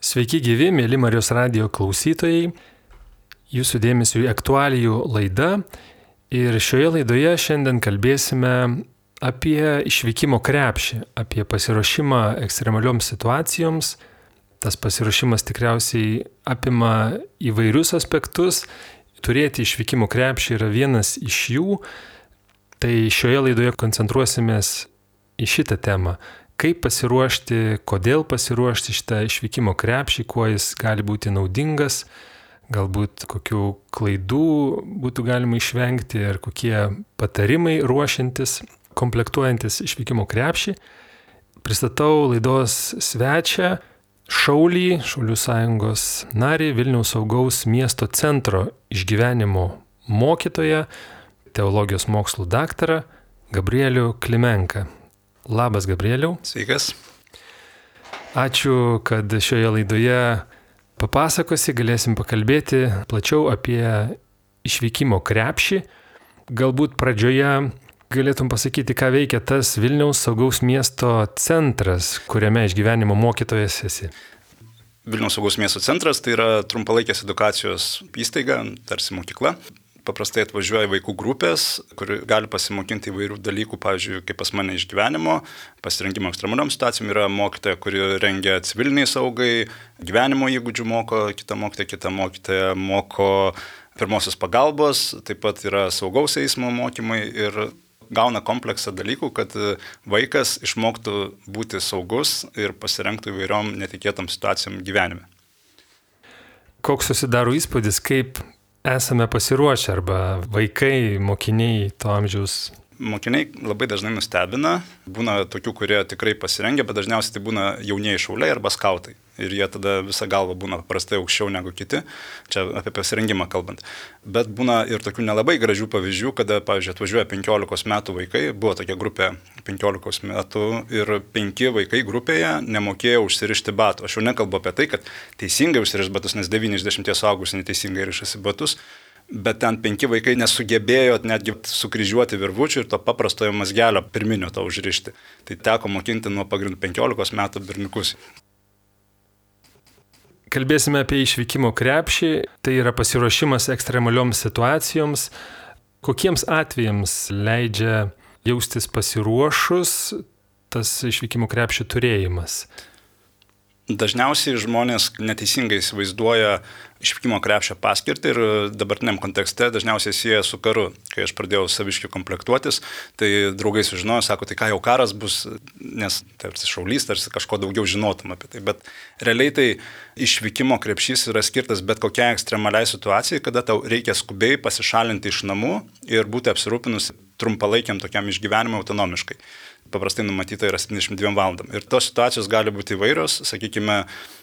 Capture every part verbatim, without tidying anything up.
Sveiki gyvi, mėly Marijos radijo klausytojai, jūsų dėmesio į aktualijų laidą ir šioje laidoje šiandien kalbėsime apie išvykimo krepšį, apie pasiruošimą ekstremalioms situacijoms. Tas pasiruošimas tikriausiai apima įvairius aspektus, turėti išvykimo krepšį yra vienas iš jų, tai šioje laidoje koncentruosimės į šitą temą. Kaip pasiruošti, kodėl pasiruošti šitą išvykimo krepšį, kuo jis gali būti naudingas, galbūt kokių klaidų būtų galima išvengti ir kokie patarimai ruošiantis, komplektuojantis išvykimo krepšį. Pristatau laidos svečią, Šaulį, Šaulių sąjungos narį, Vilniaus saugaus miesto centro išgyvenimo mokytoją, teologijos mokslų daktarą Gabrielių Klimenką. Labas, Gabrieliau. Sveikas. Ačiū, kad šioje laidoje papasakosi, galėsim pakalbėti plačiau apie išvykimo krepšį. Galbūt pradžioje galėtum pasakyti, ką veikia tas Vilniaus saugaus miesto centras, kuriame išgyvenimo mokytojas esi. Vilniaus saugaus miesto centras tai yra trumpalaikės edukacijos įstaiga, tarsi mokykla. Paprastai atvažiuoja vaikų grupės, kur gali pasimokinti įvairių dalykų, pavyzdžiui, kaip pas mane išgyvenimo, pasirengimo ekstremaliom situacijom yra mokytoja, kuri rengia civiliniai saugai, gyvenimo įgūdžių moko, kita mokytoja, kita mokytoja moko pirmosios pagalbos, taip pat yra saugaus eismo mokymai ir gauna kompleksą dalykų, kad vaikas išmoktų būti saugus ir pasirengtų įvairiom netikėtom situacijom gyvenime. Koks susidaro įspūdis, kaip esame pasiruošę arba vaikai, mokiniai to amžiaus? Mokiniai labai dažnai nustebina, būna tokių, kurie tikrai pasirengia, bet dažniausiai tai būna jaunieji šauliai arba skautai. Ir jie tada visa galva būna paprastai aukščiau negu kiti, čia apie pasirengimą kalbant. Bet būna ir tokių nelabai gražių pavyzdžių, kada, pavyzdžiui, atvažiuoja penkiolikos metų vaikai, buvo tokia grupė penkiolikos metų ir penki vaikai grupėje nemokėjo užsirišti batų. Aš jau nekalbu apie tai, kad teisingai užsirišti batus, nes devyni iš dešimties suaugusių neteisingai rišasi batus, bet ten penki vaikai nesugebėjo netgi sukryžiuoti virvučių ir to paprastojo mazgelio pirminio to užrišti. Tai teko mokinti nuo pagrindų penkiolikos metų berniukus. Kalbėsime apie išvykimo krepšį, tai yra pasiruošimas ekstremalioms situacijoms. Kokiems atvejams leidžia jaustis pasiruošus tas išvykimo krepšio turėjimas? Dažniausiai žmonės neteisingai įsivaizduoja išvykimo krepšio paskirtį ir dabartiniam kontekste dažniausiai sieja su karu. Kai aš pradėjau saviškių komplektuotis, tai draugai sužinojo, sako, tai ką jau karas bus, nes tarsi šaulys, tarsi kažko daugiau žinotum apie tai. Bet realiai tai išvykimo krepšys yra skirtas bet kokiai ekstremaliai situacijai, kada tau reikia skubiai pasišalinti iš namų ir būti apsirūpinus trumpalaikiam tokiam išgyvenimui autonomiškai. Paprastai numatyta yra septyniasdešimt dvi valandom. Ir tos situacijos gali būti įvairios, sakykime,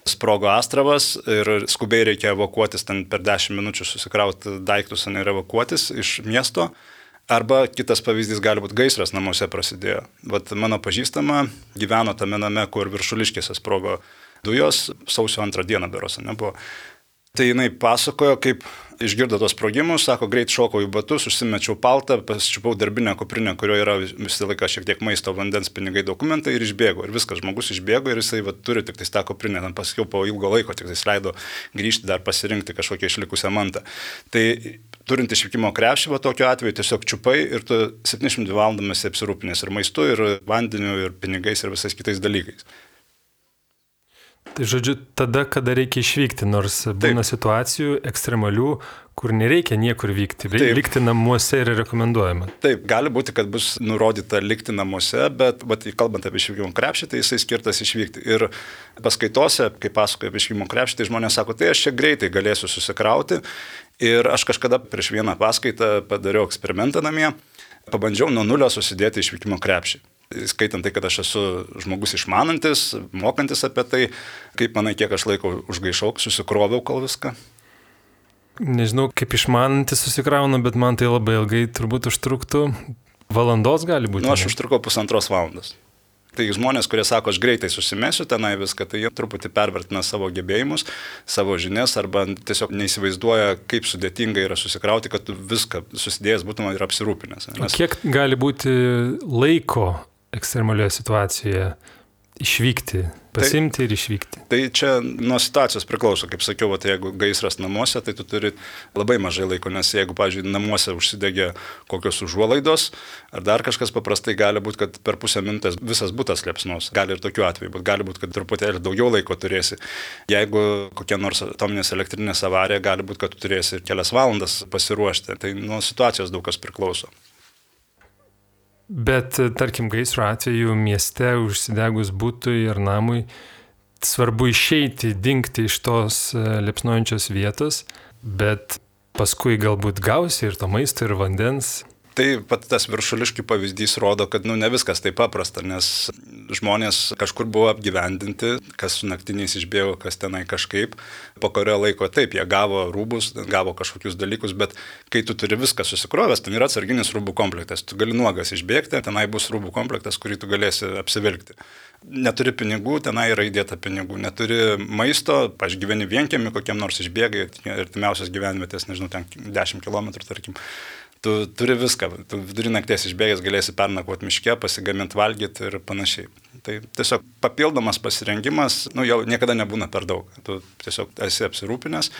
sprogo astravas ir skubiai reikia evakuotis, ten per dešimt minučių susikrauti daiktus ir evakuotis iš miesto. Arba kitas pavyzdys gali būti gaisras namuose prasidėjo. Vat mano pažįstama gyveno tame name, kur Viršuliškėse sprogo dujos, sausio antrą dieną berosa nebuvo. Tai jinai pasakojo, kaip išgirdo tos sprogimus, sako, greit šokau į batus, užsimečiau paltą, pasičiupau darbinę kuprinę, kurioje yra visą laiką šiek tiek maisto, vandens, pinigai, dokumentai ir išbėgo. Ir viskas, žmogus išbėgo ir jisai va, turi tik tą kuprinę, ten pasakiau po ilgo laiko, tik jis leido grįžti dar pasirinkti kažkokią išlikusią mantą. Tai turint išvykimo krepšį, va tokiu atveju tiesiog čiupai ir tu septyniasdešimt dvi valandomis apsirūpinęs ir maistu, ir vandeniu, ir pinigais, ir visais kitais dalykais. Tai žodžiu, tada, kada reikia išvykti, nors būna Taip. situacijų ekstremalių, kur nereikia niekur vykti, Taip. likti namuose yra rekomenduojama. Taip, gali būti, kad bus nurodyta likti namuose, bet, bet kalbant apie išvykimo krepšį, tai jisai skirtas išvykti. Ir paskaitose, kai pasakoju apie išvykimo krepšį, tai žmonės sako, tai aš čia greitai galėsiu susikrauti. Ir aš kažkada prieš vieną paskaitą padariau eksperimentą namie, pabandžiau nuo nulio susidėti išvykimo krepšį. Skaitant tai, kad aš esu žmogus išmanantis, mokantis apie tai, kaip manai, kiek aš laiko užgaišau, susikroviau kol viską. Nežinau, kaip išmanantis susikraunu, bet man tai labai ilgai turbūt užtruktų. Valandos gali būti? Nu, aš užtrukau pusantros valandos. Tai žmonės, kurie sako, aš greitai susimesiu tenai viską, tai jie truputį pervertina savo gebėjimus, savo žinias arba tiesiog neįsivaizduoja, kaip sudėtinga yra susikrauti, kad tu viską susidėjęs būtum ir apsirūpinęs. Nes... Kiek gali būti laiko ekstremalioje situacijoje išvykti pasimti tai, ir išvykti. Tai čia nuo situacijos priklauso. Kaip sakiau, vat, jeigu gaisras namuose, tai tu turi labai mažai laiko, nes jeigu, pavyzdžiui, namuose užsidegė kokios užuolaidos, ar dar kažkas, paprastai gali būti, kad per pusę minutės visas butas liepsnos. Gali ir tokiu atveju, bet gali būti, kad truputėlį daugiau laiko turėsi. Jeigu kokia nors atominės elektrinės avarija, gali būti, kad tu turėsi ir kelias valandas pasiruošti. Tai nuo situacijos daug kas priklauso. Bet, tarkim, gaisro atveju mieste užsidegus butui ir namui, svarbu išeiti, dingti iš tos liepsnojančios vietos, bet paskui galbūt gausi ir to maisto, ir vandens. Tai pat tas viršuliškių pavyzdys rodo, kad nu, ne viskas taip paprasta, nes žmonės kažkur buvo apgyvendinti, kas su naktiniais išbėgo, kas tenai kažkaip. Po kurio laiko taip, jie gavo rūbus, gavo kažkokius dalykus, bet kai tu turi viską susikrovęs, ten yra atsarginis rūbų komplektas. Tu gali nuogas išbėgti, tenai bus rūbų komplektas, kurį tu galėsi apsivilkti. Neturi pinigų, tenai yra įdėta pinigų. Neturi maisto, pažgyveni vienkiemi, kokiam nors išbėgai, artimiausias gyvenvietės, nežinau, ten dešimt kilometrų, tarkim. Tu turi viską, tu vidurį nakties išbėgęs galėsi pernakvoti miške, pasigaminti, valgyti ir panašiai. Tai tiesiog papildomas pasirengimas, nu jau niekada nebūna per daug. Tu tiesiog esi apsirūpinęs.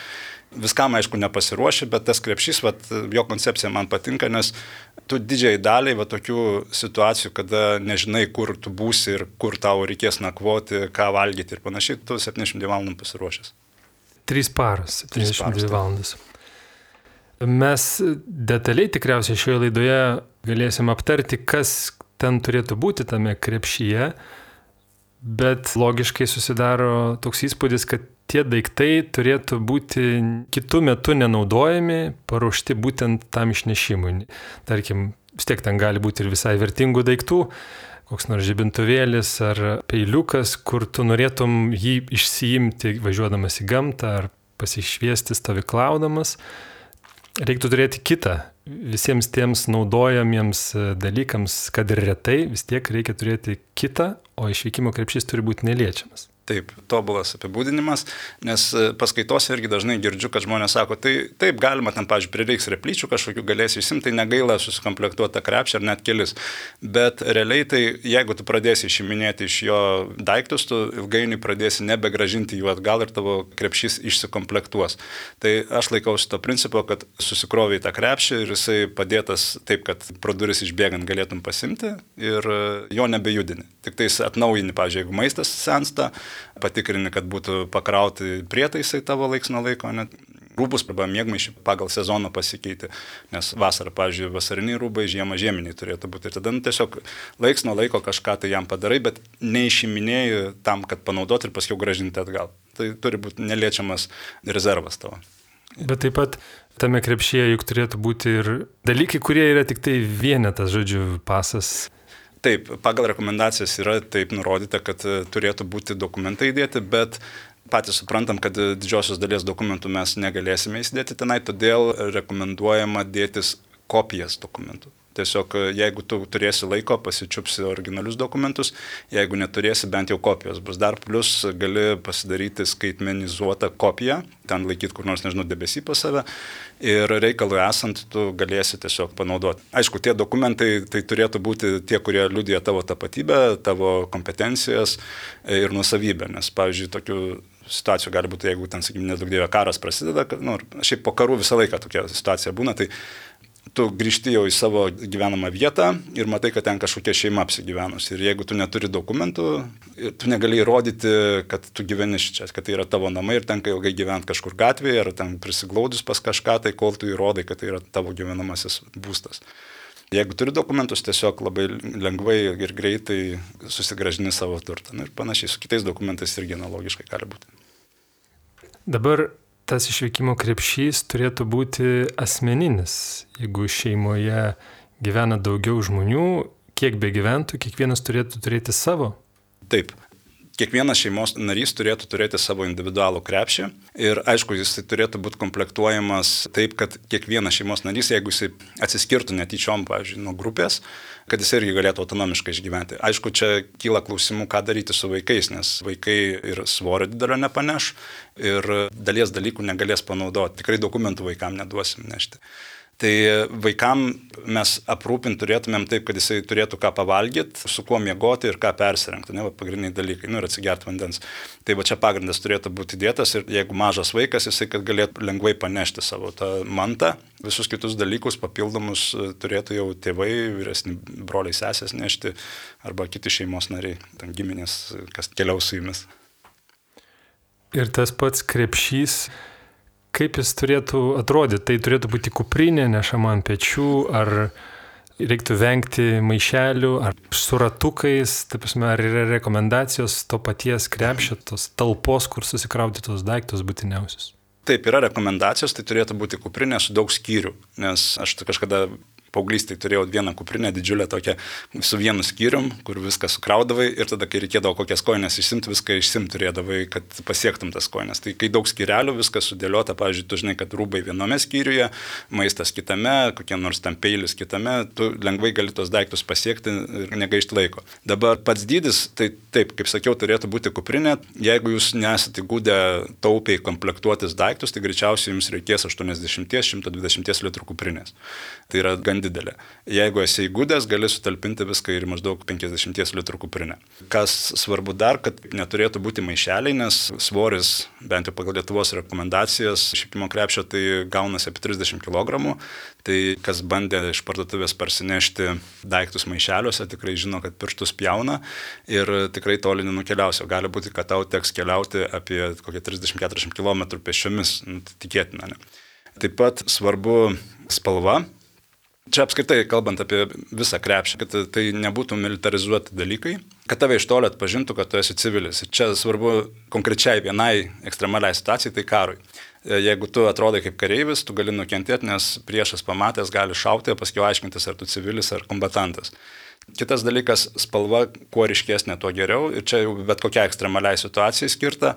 Viskam, aišku, nepasiruoši, bet tas krepšys, vat, jo koncepcija man patinka, nes tu didžiai daliai va, tokių situacijų, kada nežinai, kur tu būsi ir kur tau reikės nakvoti, ką valgyti ir panašiai, tu septyniasdešimt dvi valandų pasiruošęs. Trys paros, septyniasdešimt dvi valandas. Mes detaliai tikriausiai šioje laidoje galėsim aptarti, kas ten turėtų būti tame krepšyje, bet logiškai susidaro toks įspūdis, kad tie daiktai turėtų būti kitų metų nenaudojami, paruošti būtent tam išnešimui. Tarkim, vis tiek ten gali būti ir visai vertingų daiktų, koks nors žibintuvėlis ar peiliukas, kur tu norėtum jį išsiimti važiuodamas į gamtą ar pasišviesti stovyklaudamas. Reiktų turėti kitą. Visiems tiems naudojamiems dalykams, kad ir retai, vis tiek reikia turėti kitą, o išvykimo krepšys turi būti neliečiamas. Taip, tobulas apibūdinimas, nes paskaitose irgi dažnai girdžiu, kad žmonės sako, tai taip galima, ten, pavyzdžiui, prireiks replyčių kažkokių galėsi išsimti, tai negaila susikomplektuoti tą krepšį ar net kelis. Bet realiai tai, jeigu tu pradėsi išiminėti iš jo daiktus, tu ilgainiui pradėsi nebegražinti jų atgal ir tavo krepšys išsikomplektuos. Tai aš laikausi to principo, kad susikroviai tą krepšį ir jisai padėtas taip, kad pro duris išbėgant galėtum pasimti ir jo nebejudini. Tik tais atnaujini, pavyzdžiui, jeigu maistas sensta, patikrini, kad būtų pakrauti prietaisai tavo laiks nuo laiko, net rūbus arba miegmaišį pagal sezoną pasikeiti, nes vasarą, pavyzdžiui, vasariniai rūbai, žiemą žieminiai turėtų būti. Ir tada nu, tiesiog laiks nuo laiko kažką tai jam padarai, bet neišiminėjai tam, kad panaudoti ir paskiau gražinti atgal. Tai turi būti neliečiamas rezervas tavo. Bet taip pat tame krepšyje juk turėtų būti ir dalykai, kurie yra tik tai vienetas, žodžiu, pasas. Taip, pagal rekomendacijas yra taip nurodyta, kad turėtų būti dokumentai įdėti, bet patys suprantam, kad didžiosios dalies dokumentų mes negalėsime įsidėti tenai, todėl rekomenduojama dėtis kopijas dokumentų. Tiesiog jeigu tu turėsi laiko, pasičiupsi originalius dokumentus, jeigu neturėsi, bent jau kopijos bus. Dar plus gali pasidaryti skaitmenizuotą kopiją, ten laikyti kur nors, nežinau, debesį pas save ir reikalui esant tu galėsi tiesiog panaudoti. Aišku, tie dokumentai tai turėtų būti tie, kurie liudija tavo tapatybę, tavo kompetencijas ir nuosavybę, nes, pavyzdžiui, tokių situacijų gali būti, jeigu ten, sakykime, nedaug dievė karas prasideda, nu, šiaip po karų visą laiką tokia situacija būna, tai tu grįžti jau į savo gyvenamą vietą ir matai, kad ten kažkokia šeima apsigyvenus. Ir jeigu tu neturi dokumentų, tu negali įrodyti, kad tu gyveni čia, kad tai yra tavo namai ir tenka ilgai gyventi kažkur gatvėje ar ten prisiglaudus pas kažką, tai kol tu įrodai, kad tai yra tavo gyvenamasis būstas. Jeigu turi dokumentus, tiesiog labai lengvai ir greitai susigražini savo turtą. Ir panašiai su kitais dokumentais irgi analogiškai gali būti. Dabar tas išvykimo krepšys turėtų būti asmeninis. Jeigu šeimoje gyvena daugiau žmonių, kiek be gyventų, kiekvienas turėtų turėti savo. Taip. Kiekvienas šeimos narys turėtų turėti savo individualų krepšį ir aišku, jis turėtų būti komplektuojamas taip, kad kiekvienas šeimos narys, jeigu jis atsiskirtų netyčiom, pavyzdžiui, nuo grupės, kad jis irgi galėtų autonomiškai išgyventi. Aišku, čia kyla klausimų, ką daryti su vaikais, nes vaikai ir svorio didelio nepaneš ir dalies dalykų negalės panaudoti. Tikrai dokumentų vaikam neduosim nešti. Tai vaikam mes aprūpinti turėtumėm taip, kad jisai turėtų ką pavalgyti, su kuo miegoti ir ką persirengti, ne, va, pagrindiniai dalykai, nu ir atsigerti vandens. Tai va čia pagrindas turėtų būti dėtas ir jeigu mažas vaikas, jisai kad galėtų lengvai panešti savo tą mantą, visus kitus dalykus papildomus turėtų jau tėvai, vyresni broliai, sesės nešti arba kiti šeimos nariai, ten giminės, kas keliaus su jumis. Ir tas pats krepšys, kaip jis turėtų atrodyti? Tai turėtų būti kuprinė nešama ant pečių, ar reiktų vengti maišelių, ar su ratukais, taip prasme, ar yra rekomendacijos to paties krepšio, tos talpos, kur susikrauti tos daiktus būtiniausius? Taip, yra rekomendacijos, tai turėtų būti kuprinė su daug skyrių, nes aš kažkada paauglystėje turėjau vieną kuprinę didžiulę tokią su vienu skyrium, kur viską sukraudavai ir tada, kai reikėdavo kokias kojines išsimti, viską išsimti turėdavai, kad pasiektum tas kojines. Tai kai daug skyrelių, viskas sudėliota, pavyzdžiui, tu žinai, kad rūbai viename skyriuje, maistas kitame, kokie nors tam peilis kitame, tu lengvai gali tos daiktus pasiekti ir negaišti laiko. Dabar pats dydis, tai taip, kaip sakiau, turėtų būti kuprinė. Jeigu jūs nesate įgūdę taupiai komplektuotis daiktus, tai greičiausiai jums reikės aštuoniasdešimt iki šimto dvidešimt litrų kuprinės. Tai yra gan didelė. Jeigu esi įgūdęs, gali sutalpinti viską ir maždaug penkiasdešimt litrų kuprinę. Kas svarbu dar, kad neturėtų būti maišeliai, nes svoris, bent jau pagal Lietuvos rekomendacijas, išvykimo krepšio tai gaunasi apie trisdešimt kilogramų. Tai kas bandė iš parduotuvės parsinešti daiktus maišeliuose, tikrai žino, kad pirštus pjauna ir tikrai toli nenukeliausi. Gali būti, kad tau teks keliauti apie kokią trisdešimt iki keturiasdešimt kilometrų pėsčiomis, nu, tikėtina. Ne? Taip pat svarbu spalva. Čia apskritai, kalbant apie visą krepšį, kad tai nebūtų militarizuoti dalykai, kad tave iš toli atpažintų, kad tu esi civilis. Ir čia svarbu konkrečiai vienai ekstremaliai situacijai, tai karui. Jeigu tu atrodai kaip kareivis, tu gali nukentėti, nes priešas pamatęs gali šauti, paskui aiškintis, ar tu civilis ar kombatantas. Kitas dalykas, spalva, kuo ryškesnė, tuo geriau. Ir čia jau bet kokia ekstremaliai situacijai skirta.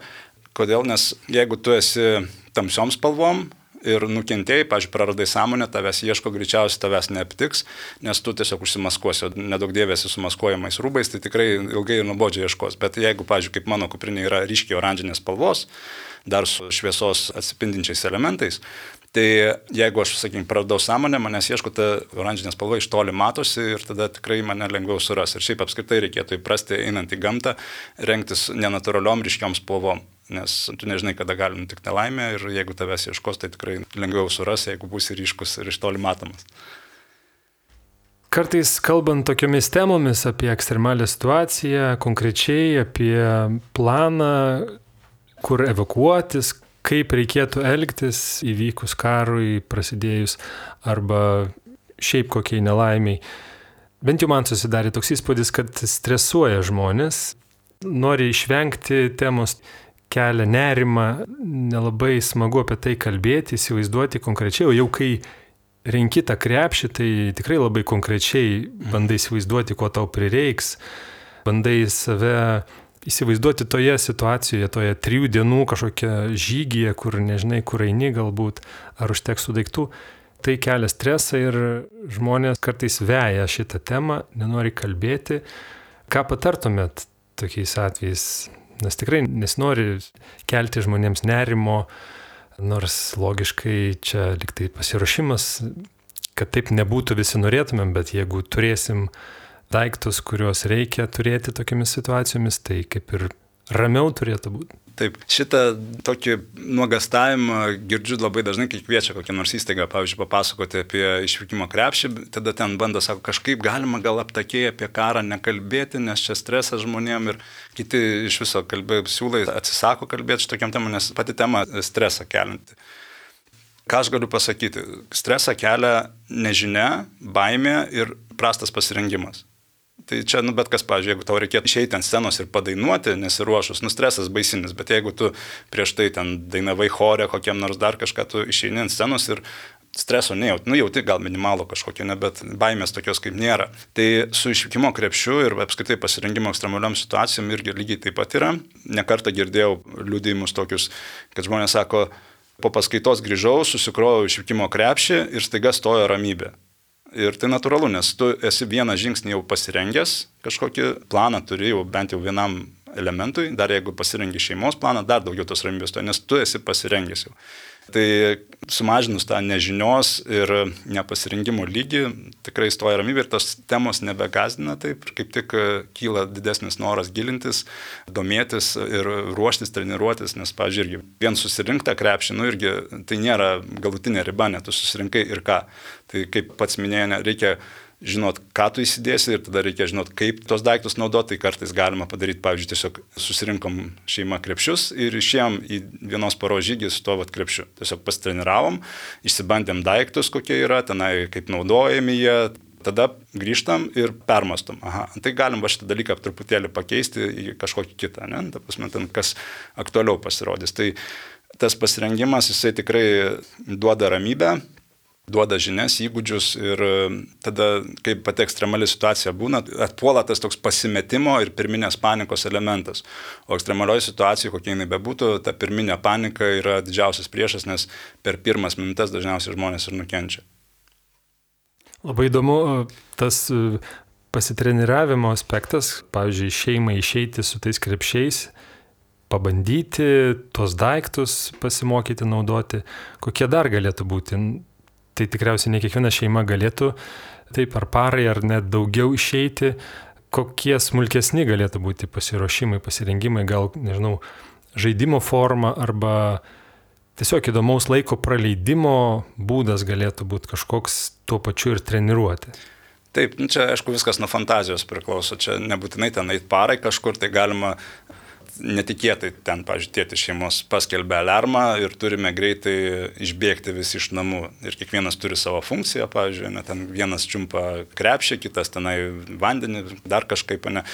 Kodėl? Nes jeigu tu esi tamsiom spalvom, ir nukentėjai, pavyzdžiui, praradai sąmonę, tavęs ieško, greičiausiai tavęs neaptiks, nes tu tiesiog užsimaskuosi, nedaug dėvėsi su maskuojamais rūbais, tai tikrai ilgai ir nuobodžiai ieškos. Bet jeigu, pavyzdžiui, kaip mano kuprinė yra ryškiai oranžinės spalvos, dar su šviesos atsipindinčiais elementais, tai jeigu aš, sakykime, praradau sąmonę, manęs ieško, ta oranžinė spalva iš toli matosi ir tada tikrai mane lengviau suras. Ir šiaip apskritai reikėtų įprasti, einant į gamtą, rengtis nenatūraliom ryškiom spalvom. Nes tu nežinai, kada gali nutikti nelaimė ir jeigu tavęs ieškos, tai tikrai lengviau suras, jeigu būsi ryškus ir iš toli matomas. Kartais kalbant tokiomis temomis apie ekstremalią situaciją, konkrečiai apie planą, kur evakuotis, kaip reikėtų elgtis įvykus karui, prasidėjus arba šiaip kokiai nelaimiai. Bent jau man susidarė toks įspūdis, kad stresuoja žmonės, nori išvengti temos, kelia nerimą, nelabai smagu apie tai kalbėti, įsivaizduoti konkrečiai, o jau kai renki tą krepšį, tai tikrai labai konkrečiai bandai įsivaizduoti, ko tau prireiks, bandai save įsivaizduoti toje situacijoje, toje trijų dienų kažkokia žygyje, kur nežinai, kur eini galbūt, ar užteks tų daiktų. Tai kelia stresą ir žmonės kartais veja šitą temą, nenori kalbėti. Ką patartumėt tokiais atvejais? Nes tikrai nesinori kelti žmonėms nerimo, nors logiškai čia liktai pasiruošimas, kad taip nebūtų visi norėtumėm, bet jeigu turėsim daiktus, kuriuos reikia turėti tokiamis situacijomis, tai kaip ir ramiau turėtų būti. Taip, šitą tokį nuogastavimą girdžiu labai dažnai, kai kviečia kokią nors įstaigą, pavyzdžiui, papasakoti apie išvykimo krepšį, tada ten bando, sako, kažkaip galima gal aptakiai apie karą nekalbėti, nes čia stresas žmonėm ir kiti iš viso kalbė, siūlai atsisako kalbėti šitokiam temam, nes pati tema stresą kelinti. Ką aš galiu pasakyti? Stresą kelia nežinia, baimė ir prastas pasirengimas. Tai čia, nu, bet kas, pavyzdžiui, jeigu tau reikėtų išeiti ant scenos ir padainuoti, nesiruošus, nu, stresas baisinis, bet jeigu tu prieš tai ten dainavai chore, kokiam nors dar kažką, tu išeini ant scenos ir streso nejauti, nu, jauti gal minimalų kažkokio, ne, bet baimės tokios kaip nėra. Tai su išvykimo krepšiu ir apskritai pasirengimo ekstremaliom situacijom irgi lygiai taip pat yra. Nekartą girdėjau liudijimus tokius, kad žmonės sako, po paskaitos grįžau, susikrovau išvykimo krepšį ir staiga stojo ramybė. Ir tai natūralu, nes tu esi vieną žingsnį jau pasirengęs, kažkokį planą turi jau bent jau vienam elementui, dar jeigu pasirengi šeimos planą, dar daugiau tos ramybės to, nes tu esi pasirengęs jau. Tai sumažinus tą nežinios ir nepasirinkimo lygį, tikrai stoja ramybė ir tos temos nebegazdina taip, kaip tik kyla didesnis noras gilintis, domėtis ir ruoštis, treniruotis, nes, pavyzdžiui, irgi vien susirinktą krepšį, nu irgi tai nėra galutinė riba, net tu susirinkai ir ką. Tai kaip pats minėjai, reikia žinot, ką tu įsidėsi ir tada reikia žinot, kaip tos daiktus naudoti, tai kartais galima padaryti, pavyzdžiui, tiesiog susirinkom šeima krepšius ir išėjom į vienos paros žygį su to vat krepšiu. Tiesiog pasitreniravom, išsibandėm daiktus, kokie yra, tenai kaip naudojami jie, tada grįžtam ir permastom. Aha, tai galim va šitą dalyką truputėlį pakeisti į kažkokį kitą, ne? Ta prasme, ten kas aktualiau pasirodys. Tai tas pasirengimas, jisai tikrai duoda ramybę, duoda žinias, įgūdžius ir tada, kai pati ekstremali situacija būna, atpuola tas toks pasimetimo ir pirminės panikos elementas. O ekstremalioje situacijoje, kokia jinai bebūtų, ta pirminė panika yra didžiausias priešas, nes per pirmas minutės dažniausiai žmonės ir nukenčia. Labai įdomu tas pasitreniravimo aspektas, pavyzdžiui, šeimai išeiti su tais krepšiais, pabandyti tuos daiktus pasimokyti naudoti, kokie dar galėtų būti. Tai tikriausiai ne kiekviena šeima galėtų taip ar parai, ar net daugiau išeiti. Kokie smulkesni galėtų būti pasiruošimai, pasirengimai, gal, nežinau, žaidimo forma arba tiesiog įdomaus laiko praleidimo būdas galėtų būti kažkoks tuo pačiu ir treniruoti. Taip, čia aišku viskas nuo fantazijos priklauso, čia nebūtinai ten eit parai kažkur, tai galima netikėtai ten, pavyzdžiui, tėtis šeimos paskelbė alarmą ir turime greitai išbėgti visi iš namų. Ir kiekvienas turi savo funkciją, pavyzdžiui, ne, ten vienas čiumpa krepšį, kitas tenai vandenį, dar kažkaip, ne.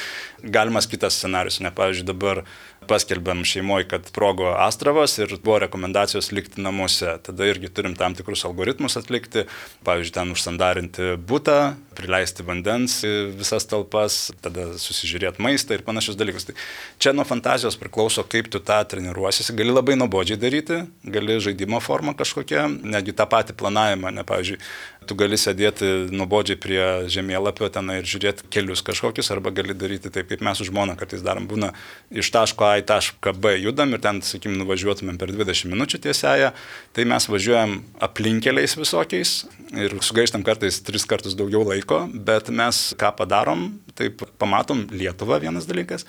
Galimas kitas scenarius, ne, pavyzdžiui, dabar paskelbėm šeimoje, kad sprogo astravas ir buvo rekomendacijos likti namuose. Tada irgi turim tam tikrus algoritmus atlikti, pavyzdžiui, ten užsandarinti butą, prileisti vandens į visas talpas, tada susižiūrėti maistą ir panašius dalykus. Tai čia nuo fantazijos priklauso, kaip tu tą treniruosiesi. Gali labai nuobodžiai daryti, gali žaidimo formą kažkokią, negi tą patį planavimą, ne, pavyzdžiui, tu gali sėdėti nuobodžiai prie žemėlapio ten ir žiūrėti kelius kažkokius, arba gali daryti taip, kaip mes su žmona kartais darom, būna iš taško A į tašką B judam ir ten, sakykim, nuvažiuotumėm per dvidešimt minučių tiesiąją, tai mes važiuojam aplinkeliais visokiais ir sugaištam kartais tris kartus daugiau laiko, bet mes ką padarom, taip pamatom Lietuvą vienas dalykas.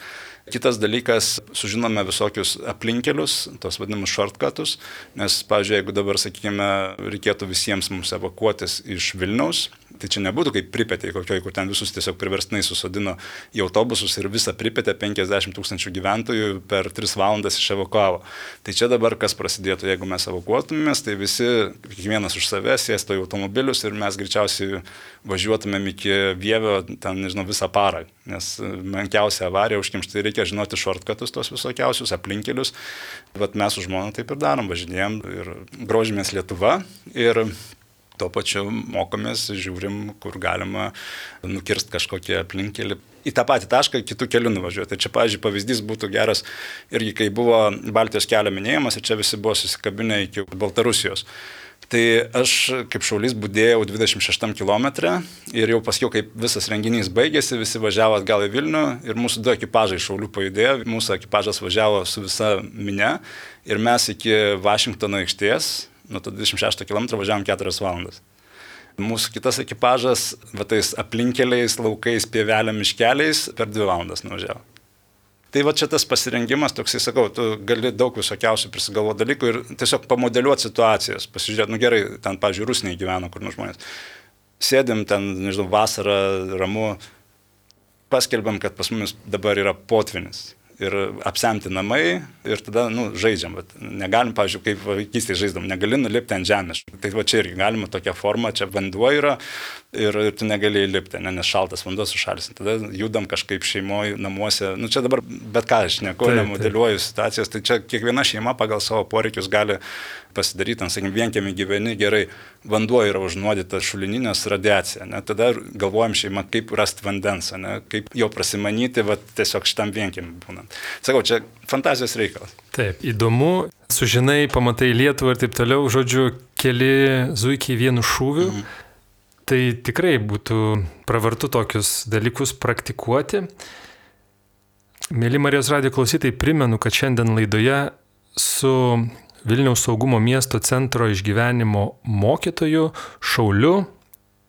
Kitas dalykas, sužinome visokius aplinkelius, tos vadinamus shortcutus, nes, pavyzdžiui, jeigu dabar, sakykime, reikėtų visiems mums evakuotis iš Vilniaus, tai čia nebūtų kaip Pripetėj kokioj, kur ten visus tiesiog priverstinai susodino į autobusus ir visą Pripetę penkiasdešimt tūkstančių gyventojų per tris valandas iševakuavo. Tai čia dabar kas prasidėtų, jeigu mes evakuotumėmės, tai visi, kiekvienas už save, sėstų į automobilius ir mes greičiausiai važiuotumėm iki Vievio, ten, nežinau, visą parą, nes menkiausia avarija užkimšti, tai reikia žinoti shortcutus tos visokiausius aplinkelius. Vat mes su žmona taip ir darom, važinėjom ir grožimės Lietuva ir tuo pačiu mokomės, žiūrim, kur galima nukirst kažkokį aplinkelį. Į tą patį tašką kitų kelių nuvažiuoti. Tai čia, pavyzdžiui, pavyzdys būtų geras irgi, kai buvo Baltijos kelio minėjimas ir čia visi buvo susikabinę iki Baltarusijos. Tai aš kaip šaulys budėjau dvidešimt šeštam kilometre ir jau paskiau, kaip visas renginys baigėsi, visi važiavo atgal į Vilnių ir mūsų du ekipažai šaulių pajudėjo, mūsų ekipažas važiavo su visa minia ir mes iki Vašingtono aikštės, nuo to dvidešimt šešto kilometro važiavom keturias valandas. Mūsų kitas ekipažas, va tais aplinkeliais, laukais, pievelėm, miškeliais per dvi valandas nuvažiavo. Tai va čia tas pasirengimas, toksai sakau, tu gali daug visokiausių prisigalvoti dalykų ir tiesiog pamodeliuoti situacijas, pasižiūrėti, nu gerai, ten, pavyzdžiui, Rusnėje gyveno kur nors žmonės. Sėdim ten, nežinau, vasarą, ramu, paskelbėm, kad pas mumis dabar yra potvinis. Ir apsemti namai ir tada, nu, žaidžiam. Bet negalim, pavyzdžiui, kaip vaikystėje žaisdam, negali nulipti ant žemės. Tai va čia irgi galima tokia forma, čia vanduo yra ir, ir tu negali įlipti, ne, nes šaltas vanduo sušalis. Tada judam kažkaip šeimoje, namuose. Nu, čia dabar bet ką aš neku, nemodeliuoju situacijas. Tai čia kiekviena šeima pagal savo poreikius gali pasidaryti, sakykime, vienkiemį gyveni gerai, vanduo yra užnuodytas šulininės radiacija. Ne? Tada galvojam šeima, kaip rasti vandens, ne? Kaip jo prasimanyti, va, tiesiog šitam vienkiemį būnant. Sakau, čia fantazijos reikalas. Taip, įdomu, sužinai, pamatai Lietuvą ir taip toliau, žodžiu, keli zuikiai vienu šūviu. Mhm. Tai tikrai būtų pravartu tokius dalykus praktikuoti. Mėly Marijos radijo klausytojai, primenu, kad šiandien laidoje su Vilniaus saugumo miesto centro išgyvenimo mokytoju, šauliu,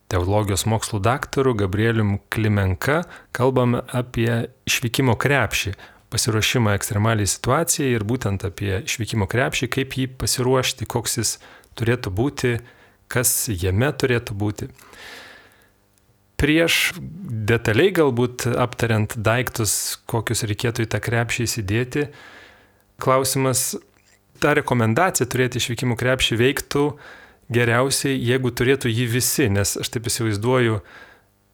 teologijos mokslų daktaru Gabrielium Klimenka kalbame apie išvykimo krepšį, pasiruošimą ekstremaliai situacijai ir būtent apie išvykimo krepšį, kaip jį pasiruošti, koks jis turėtų būti, kas jame turėtų būti. Prieš detaliai galbūt aptariant daiktus, kokius reikėtų į tą krepšį įsidėti, klausimas, ta rekomendacija turėti išvykimo krepšį veiktų geriausiai, jeigu turėtų jį visi, nes aš taip įsivaizduoju,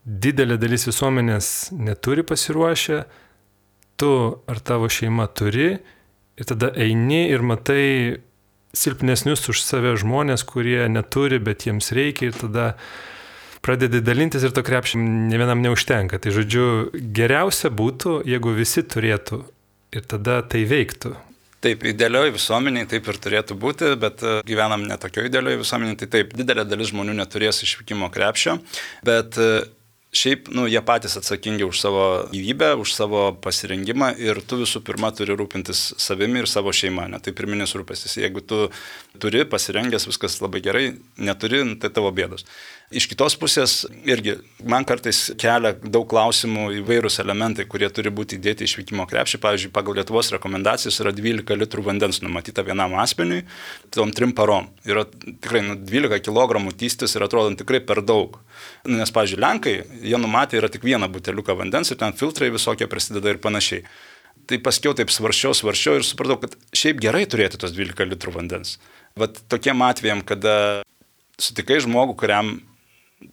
didelė dalis visuomenės neturi pasiruošę, tu ar tavo šeima turi ir tada eini ir matai silpnesnius už save žmonės, kurie neturi, bet jiems reikia ir tada pradedi dalintis ir to krepšį ne vienam neužtenka. Tai žodžiu, geriausia būtų, jeigu visi turėtų ir tada tai veiktų. Taip, idealioji visuomeniai taip ir turėtų būti, bet gyvenam ne tokio idealioji visuomeniai, tai taip, didelė dalis žmonių neturės išvykimo krepšio, bet šiaip, nu, jie patys atsakingi už savo gyvybę, už savo pasirengimą ir tu visų pirma turi rūpintis savimi ir savo šeima, ne? Tai pirminis rūpestis. Jeigu tu turi pasirengęs, viskas labai gerai, neturi, tai tavo bėdos. Iš kitos pusės irgi man kartais kelia daug klausimų įvairūs elementai, kurie turi būti įdėti į išvykimo krepšį. Pavyzdžiui, pagal Lietuvos rekomendacijas yra dvylika litrų vandens numatyta vienam asmeniui, tom trim parom. Yra tikrai nu, dvylika kilogramų tystis ir atrodo tikrai per daug. Nes, pavyzdžiui, Lenkai, jie numatė yra tik vieną buteliuką vandens ir ten filtrai visokie prisideda ir panašiai. Tai paskiau taip svarščiau, svarščiau ir supratau, kad šiaip gerai turėti tos dvylika litrų vandens. Vat tokiem atvejam, kada sutikai žmogų, kuriam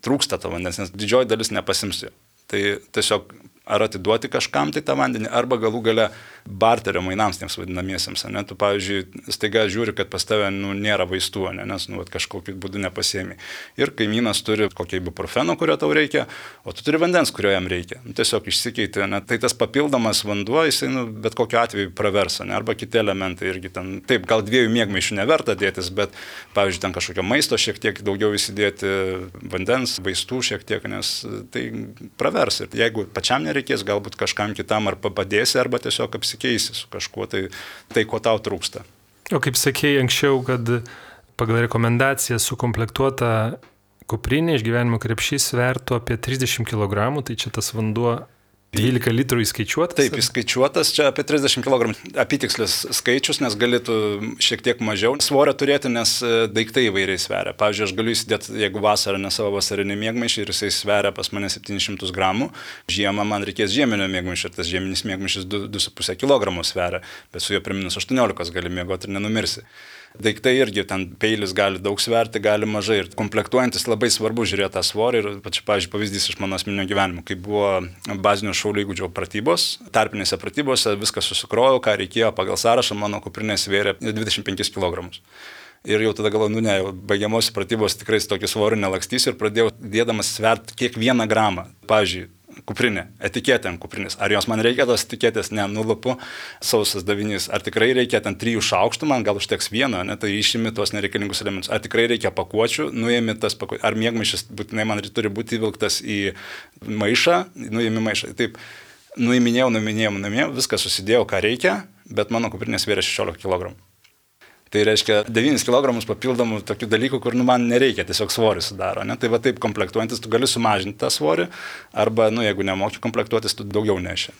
trūksta to vandens, nes didžioji dalis nepasims jo. Tai tiesiog ar atiduoti kažkam tai tą vandenį, arba galų gale barterio mainams tiems vadinamiesiems. Ne? Tu, pavyzdžiui, staiga žiūri, kad pas tave nu, nėra vaistų, ne? Nes nu, kažkokiu būdu nepasiemi. Ir kaimynas turi kokį ibuprofeno, kurio tau reikia, o tu turi vandens, kurio jam reikia. Nu, tiesiog išsikeiti. Ne? Tai tas papildomas vanduo, jisai nu, bet kokiu atveju praversa. Ne? Arba kiti elementai irgi ten. Taip, gal dviejų miegmaišių neverta dėtis, bet, pavyzdžiui, ten kažkokio maisto šiek tiek daugiau įsidėti, vandens, vaistų šiek tiek, nes tai pravers. Ir jeigu pačiam nereikia, reikės galbūt kažkam kitam ar padėsi, arba tiesiog apsikeisi su kažkuo, tai, tai ko tau trūksta. O kaip sakėjai anksčiau, kad pagal rekomendaciją sukomplektuota kuprinė išgyvenimo krepšys svertų apie trisdešimt kilogramų, tai čia tas vanduo dvylika litrų įskaičiuotas? Taip, įskaičiuotas, čia apie trisdešimt kilogramų apytikslis skaičius, nes galėtų šiek tiek mažiau svorio turėti, nes daiktai įvairiai sveria. Pavyzdžiui, aš galiu įsidėti, jeigu vasarą ne savo vasarinį miegmaišį ir jisai sveria pas mane septynis šimtus gramų, žiemą man reikės žieminio miegmaišio ir tas žieminis miegmaišis du su puse kilogramų sveria, bet su juo prie minus aštuoniolikos gali miegoti ir nenumirsi. Daiktai irgi, ten peilis gali daug sverti, gali mažai ir komplektuojantis labai svarbu žiūrėti tą svorį ir, pavyzdžiui, pavyzdys iš mano asmeninio gyvenimo, kai buvo bazinio šaulių įgūdžio pratybos, tarpinėse pratybose viskas susikrojau, ką reikėjo pagal sąrašą, mano kuprinė svėrė dvidešimt penkis kilogramus. Ir jau tada galvoju, nu ne, baigiamosios pratybos tikrai tokį svorį nelakstysiu ir pradėjau dėdamas sverti kiekvieną gramą. Pavyzdžiui, kuprinė, etiketė ant kuprinės. Ar jos man reikia tos etiketės? Ne, nulupu, sausas davinys. Ar tikrai reikia ten trijų šaukštų, man gal užteks vieno, ne, tai išimi tuos nereikalingus elementus. Ar tikrai reikia pakuočių, nuėmi tas pakuočių. Ar miegmaišis būtinai man turi būti įvilktas į maišą, nuėmi maišą. Taip, nuiminėjau, nuiminėjau, nuiminėjau, viską susidėjau, ką reikia, bet mano kuprinė svėrė šešiolika kilogramų. Tai reiškia devynis kilogramus papildomų tokių dalykų, kur nu, man nereikia, tiesiog svorį sudaro. Ne? Tai va taip komplektuojantis, tu gali sumažinti tą svorį, arba, nu, jeigu nemoki komplektuotis, tu daugiau neši.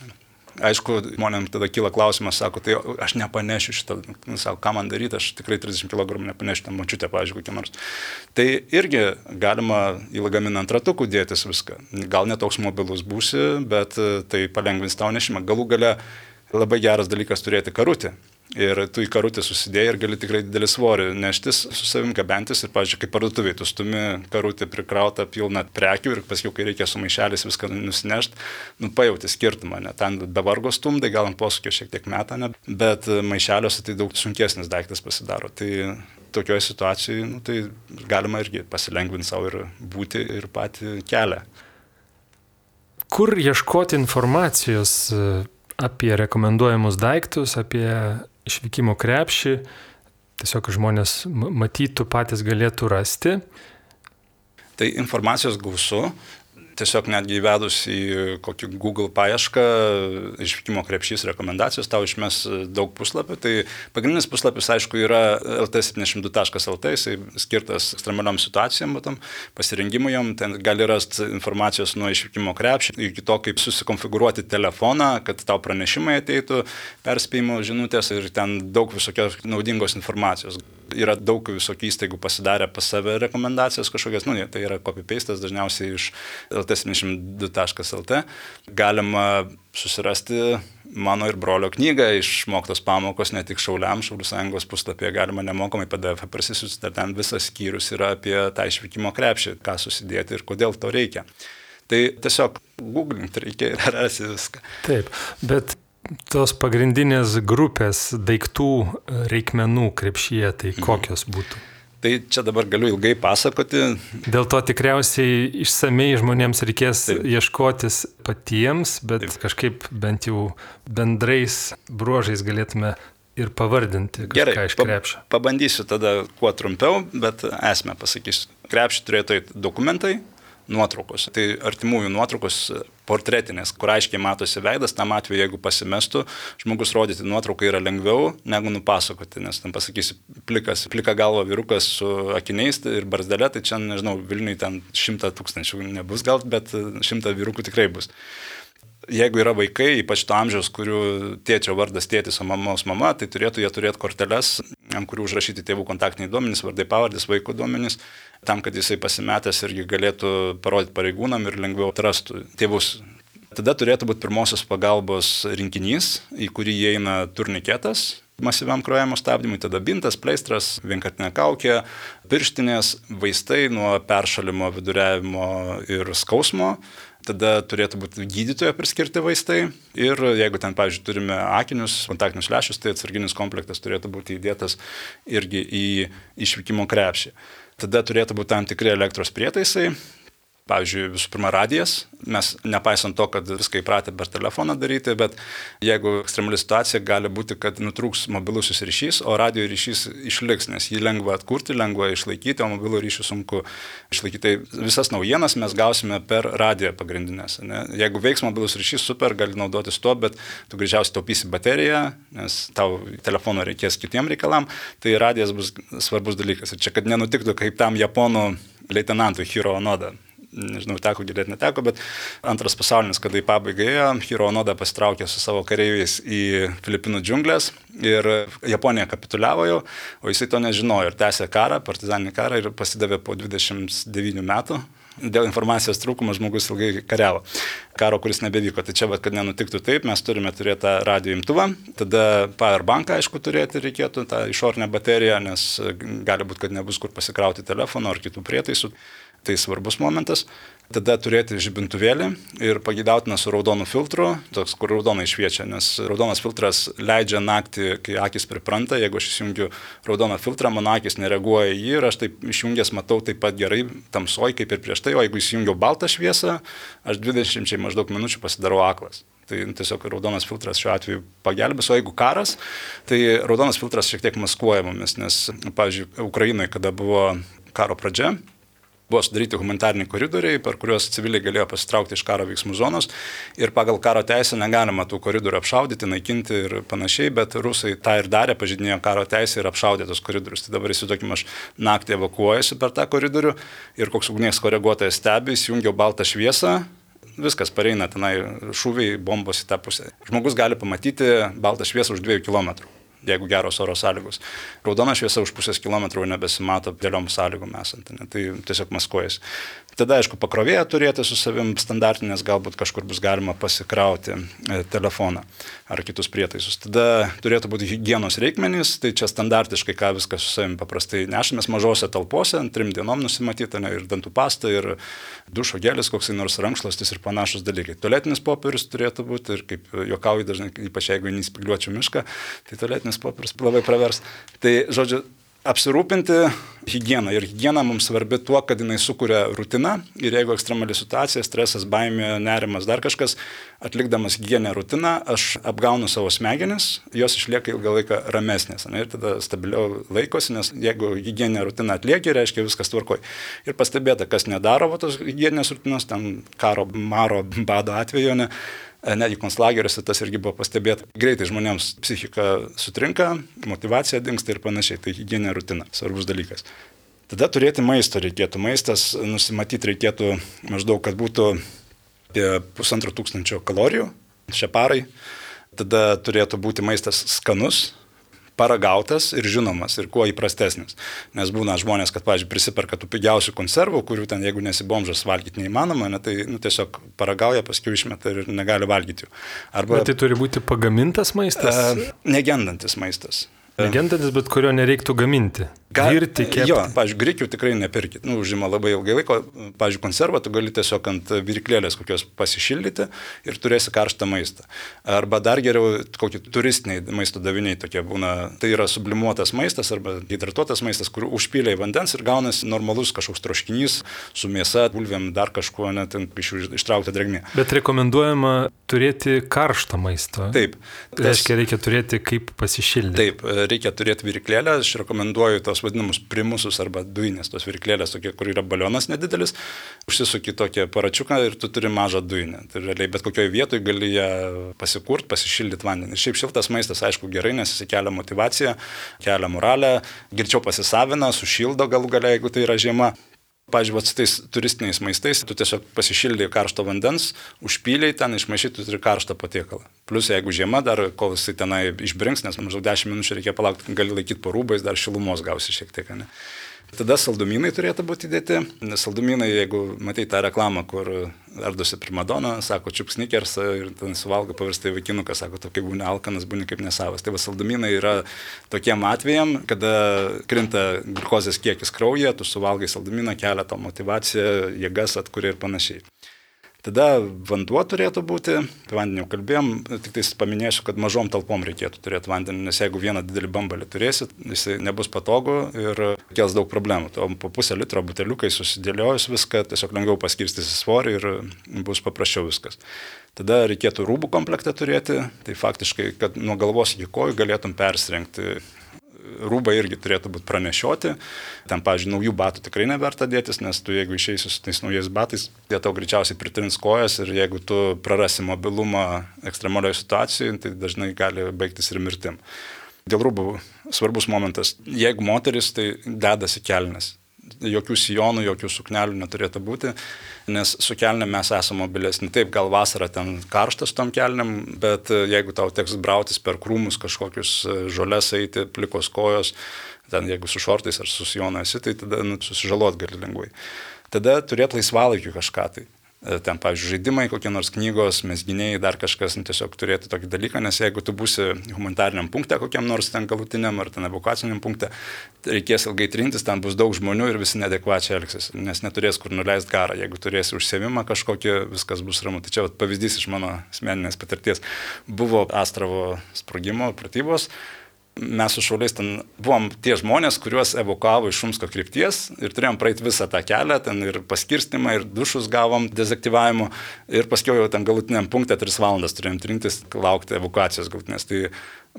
Aišku, žmonėms tada kyla klausimas, sako, tai aš nepanešiu šitą, nu, sako, ką man daryti, aš tikrai trisdešimt kilogramų nepanešiu, ten močiutė, pavyzdžiui, kokia nors. Tai irgi galima į lagaminą ant ratukų dėtis viską. Gal netoks mobilus būsi, bet tai palengvins tau nešimą. Galų gale labai geras dalykas turėti karutį. Ir tu į karutį susidėjai ir gali tikrai didelį svorį neštis, su savim gabentis ir, pavyzdžiui, kaip parduotuviai, tu stumi karutį prikrautą pilną prekių ir paskui, kai reikia su maišelis viską nusinešti, nu, pajauti skirtumą, ne, ten be vargo stumdai, gal ant posūkio šiek tiek metą, ne, bet maišeliuose tai daug sunkesnis daiktas pasidaro. Tai tokioje situacijoje, nu, tai galima irgi pasilengvinti savo ir būti ir patį kelią. Kur ieškoti informacijos apie rekomenduojamus daiktus, apie išvykimo krepšį, tiesiog žmonės matytų, patys galėtų rasti? Tai informacijos gausu. tiesiog netgi įvedus į kokį Google paiešką išvykimo krepšys rekomendacijos, tau išmes daug puslapių. Tai pagrindinis puslapis, aišku, yra el t septyniasdešimt du taškas el t, jisai skirtas ekstremaliom situacijom, matom, pasirengimui jom, ten gali rasti informacijos nuo išvykimo krepšį, iki to, kaip susikonfigūruoti telefoną, kad tau pranešimai ateitų, perspėjimo žinutės ir ten daug visokios naudingos informacijos. Yra daug visokių įstaigų pasidarę pas save rekomendacijas kažkokias, nu, tai yra copy-pastas dažniausiai iš el t septyniasdešimt du taškas el t. Galima susirasti mano ir brolio knygą Išmoktos pamokos ne tik šauliams, Šaulių sąjungos puslapyje galima nemokamai P D F parsisiųsti, ten visas skyrius yra apie tą išvykimo krepšį, ką susidėti ir kodėl to reikia. Tai tiesiog googlinti reikia ir rasti viską. Taip, bet tos pagrindinės grupės daiktų reikmenų krepšyje, tai kokios būtų? Tai čia dabar galiu ilgai pasakoti. Dėl to tikriausiai išsamei žmonėms reikės Taip. ieškotis patiems, bet Taip. kažkaip bent jau bendrais bruožais galėtume ir pavardinti kažką Gerai, iš krepšio. Pa, pabandysiu tada kuo trumpiau, bet esmę pasakysiu. Krepšį turėtų eiti dokumentai, nuotraukos. Tai artimųjų nuotraukos portretinės, kur aiškiai matosi veidas, tam atveju, jeigu pasimestų, žmogus rodyti nuotrauką yra lengviau negu nupasakoti, nes tam pasakysi plikas, plika galva vyrukas su akiniais ir barzdelė, tai čia, nežinau, Vilniui ten šimta tūkstančių nebus gal, bet šimta vyrukų tikrai bus. Jeigu yra vaikai, ypač to amžiaus, kurių tėčio vardas tėtis, o mamos mama, tai turėtų jie turėti korteles, ant kurių užrašyti tėvų kontaktiniai duomenys, vardai pavardės, vaikų duomenys, tam, kad jisai pasimetęs irgi galėtų parodyti pareigūnam ir lengviau atrastų tėvus. Tada turėtų būti pirmosios pagalbos rinkinys, į kurį įeina turniketas masyviam kraujavimo stabdymui, tada bintas, pleistras, vienkartinė kaukė, pirštinės, vaistai nuo peršalimo, viduriavimo ir skausmo. Tada turėtų būti gydytojo priskirti vaistai ir jeigu ten, pavyzdžiui, turime akinius, kontaktinius lęšius, tai atsarginis komplektas turėtų būti įdėtas irgi į išvykimo krepšį. Tada turėtų būti tam tikri elektros prietaisai. Pavyzdžiui, visų pirma, radijas. Mes nepaisant to, kad viską įpratę per telefoną daryti, bet jeigu ekstremali situacija, gali būti, kad nutrūks mobilusis ryšys, o radio ryšys išliks, nes jį lengva atkurti, lengva išlaikyti, o mobilų ryšį sunku išlaikyti. Tai visas naujienas mes gausime per radiją pagrindinės. Ne? Jeigu veiks mobilus ryšys, super, gali naudotis tuo, bet tu greičiausiai taupysi bateriją, nes tau telefono reikės kitiem reikalam, tai radijas bus svarbus dalykas. Ir čia, kad nenutiktų kaip tam japonų leitenantui Hiro Onoda. Nežinau, teko girdėti, neteko, bet antras pasaulinis, kada į pabaigą ėjo, Hiro Onoda pasitraukė su savo kareiviais į Filipinų džiunglės ir Japonija kapituliavo jau, o jisai to nežinojo ir tęsė karą, partizaninį karą ir pasidavė po dvidešimt devynių metų. Dėl informacijos trūkumo žmogus ilgai kariavo. Karo, kuris nebevyko. Tai čia, bet kad nenutiktų taip, mes turime turėti tą radio imtuvą, tada powerbanką, aišku, turėti reikėtų, tą išorinę bateriją, nes gali būti, kad nebus kur pasikrauti telefono ar kitų prietaisų. Tai svarbus momentas. Tada turėti žibintuvėlį ir pageidautina su raudonu filtru, toks, kur raudonai šviečia, nes raudonas filtras leidžia naktį, kai akis pripranta, jeigu aš įsijungiu raudoną filtrą, mano akis nereaguoja į jį ir aš taip išjungęs matau taip pat gerai tamsoj, kaip ir prieš tai, o jeigu įsijungiau baltą šviesą, aš dvidešimčiai maždaug minučių pasidarau aklas. Tai tiesiog raudonas filtras šiuo atveju pagelbės, o jeigu karas, tai raudonas filtras šiek tiek maskuoja mumis, nes, pavyzdžiui, Ukrainoje, kada buvo karo pradžia, buvo sudaryti humanitariniai koridoriai, per kuriuos civiliai galėjo pasitraukti iš karo veiksmų zonos ir pagal karo teisę negalima tų koridorių apšaudyti, naikinti ir panašiai, bet rusai tą ir darė, pažeidinėjo karo teisę ir apšaudė tos koridorius. Tai dabar įsivaizduokime, aš naktį evakuojuosi per tą koridorių ir koks ugnies koreguotojas stebi, įsijungiau baltą šviesą, viskas pareina tenai šūviai, bombos į tą pusę. Žmogus gali pamatyti baltą šviesą už dviejų kilometrų. Jeigu geros oro sąlygos. Raudona šviesa už pusės kilometrų nebesimato dėliom sąlygom esant, ne? Tai tiesiog maskuojasi. Tada, aišku, pakrovėją turėti su savim standartinės, galbūt kažkur bus galima pasikrauti telefoną ar kitus prietaisus. Tada turėtų būti higienos reikmenys, tai čia standartiškai, ką viską su savim paprastai nešamės mažose talpose, trim dienom nusimatyta, ne, ir dantų pasta, ir dušo gelis, koksai nors rankšluostis ir panašus dalykai. Tualetinis popierius turėtų būti ir kaip juokauju dažnai, ypač jeigu neįspygliuočiau mišką, tai tualetinis popierius labai pravers. Tai, žodžiu, Apsirūpinti higieną. Ir higiena mums svarbi tuo, kad jinai sukuria rutiną ir jeigu ekstremali situacija, stresas, baimė, nerimas, dar kažkas, atlikdamas higieninę rutiną, aš apgaunu savo smegenis, jos išlieka ilgą laiką ramesnės. Ne? Ir tada stabiliau laikosi, nes jeigu higieninę rutiną atlieki, reiškia viskas tvarkoj. Ir pastebėta, kas nedaro va, tos higieninės rutinos, ten karo, maro, bado atveju, ne? Netgi konclageriuose tas irgi buvo pastebėta. Greitai žmonėms psichika sutrinka, motivacija dingsta ir panašiai. Tai higieninė rutina, svarbus dalykas. Tada turėti maisto reikėtų. Maistas nusimatyti reikėtų maždaug, kad būtų apie pusantro tūkstančio kalorijų šią parai. Tada turėtų būti maistas skanus, paragautas ir žinomas ir kuo įprastesnis. Nes būna žmonės, kad, pavyzdžiui, prisiperka tų pigiausių konservų, kurių ten, jeigu nesi bomžas, valgyti neįmanoma, ne, tai nu, tiesiog paragauja, paskui išmeta ir negali valgyti jų. Arba, bet tai turi būti pagamintas maistas? E, negendantis maistas. Negendantis, bet kurio nereiktų gaminti. Virti, kepti. Jo, pavyzdžiui, grikių tikrai nepirkit. Nu, užima labai ilgai laiko. Pavyzdžiui, konservą tu gali tiesiog ant virklėlės kokios pasišildyti ir turėsi karštą maistą. Arba dar geriau, kokie turistiniai maisto daviniai tokie būna. Tai yra sublimuotas maistas arba hidratuotas maistas, kur užpyliai vandens ir gaunasi normalus kažkoks troškinys su mėsa, bulvėm, dar kažkuo, net iš jų ištraukta drėgmė. Bet rekomenduojama turėti karštą maistą. Taip. Tai reiškia, reikia turėti kaip pasišildyti. Taip, reikia turėti virklėlę. Aš rekomenduoju tos vadinamus primusus arba dujinės, tos virklėlės, tokie, kur yra balionas nedidelis, užsisuki tokį aparačiuką ir tu turi mažą dujinę. Tai realiai bet kokioje vietoje gali ją pasikurt, pasišildyti vandenį. Šiaip šiltas maistas, aišku, gerai, nes jis kelia motivaciją, kelia moralę, greičiau pasisavina, sušildo galų gale, jeigu tai yra žiema. Pavyzdžiui, su tais turistiniais maistais, tu tiesiog pasišildai karšto vandens, užpyliai ten, išmaišai, tu turi karštą patiekalą. Plus, jeigu žiema, dar kol jisai tenai išbrinks, nes maždaug dešimt minučių reikia palaukti, gali laikyti po rūbais, dar šilumos gausi šiek tiek. Ne? Tada saldumynai turėtų būti įdėti. Saldumynai, jeigu matai tą reklamą, kur ardosi primadona, sako čiup snickersą ir ten suvalgo, pavirsta į vaikinuką, sako, tu kaip būni alkanas, būni kaip nesavas. Tai va, saldumynai yra tokiem atvejam, kada krinta gliukozės kiekis kraujyje, tu suvalgai saldumyną, kelia tau motivaciją, jėgas atkuria ir panašiai. Tada vanduo turėtų būti, apie vandenį jau kalbėjom, tik tai paminėsiu, kad mažom talpom reikėtų turėti vandenį, nes jeigu vieną didelį bambalį turėsit, jis nebus patogu ir kels daug problemų. O po pusę litro buteliukai susidėliojus viską, tiesiog lengviau paskirstysi svorį ir bus paprasčiau viskas. Tada reikėtų rūbų komplektą turėti, tai faktiškai, kad nuo galvos iki kojų galėtum persirengti. Rūbai irgi turėtų būti pranešioti. Ten, pavyzdžiui, naujų batų tikrai neverta dėtis, nes tu, jeigu išeisi su tais naujais batais, jie tau greičiausiai pritrins kojas ir jeigu tu prarasi mobilumą ekstremalioje situacijoje, tai dažnai gali baigtis ir mirtim. Dėl rūbų svarbus momentas. Jeigu moteris, tai dedasi kelnes. Jokių sijonų, jokių suknelių neturėtų būti, nes su kelnėm mes esame mobilesni. Taip, gal vasarą ten karštas tom kelnėm, bet jeigu tau teks brautis per krūmus kažkokius žoles eiti, plikos kojos, ten jeigu su šortais ar su sijonu esi, tai tada nu, susižalot gali lengvai. Tada turėti laisvalaikiu kažką tai. Ten, pavyzdžiui, žaidimai, kokie nors knygos, mezginiai, dar kažkas, nu, tiesiog turėti tokį dalyką, nes jeigu tu būsi humanitariniam punkte, kokiam nors ten galutiniam ar ten evakuaciniam punkte, reikės ilgai trintis, ten bus daug žmonių ir visi neadekvačiai elgsis, nes neturės kur nuleisti garą. Jeigu turėsi užsiėmimą kažkokį, viskas bus ramu. Tai čia vat, pavyzdys iš mano asmeninės patirties. Buvo Astravo sprogimo pratybos. Mes su šauliais ten buvom tie žmonės, kuriuos evakavo iš Šumsko krypties ir turėjom praeiti visą tą kelią, ten ir paskirstimą, ir dušus gavom dezaktyvavimo ir paskiau jau ten galutiniam punkte tris valandas turėjom trintis, laukti evakuacijos galutinės. Tai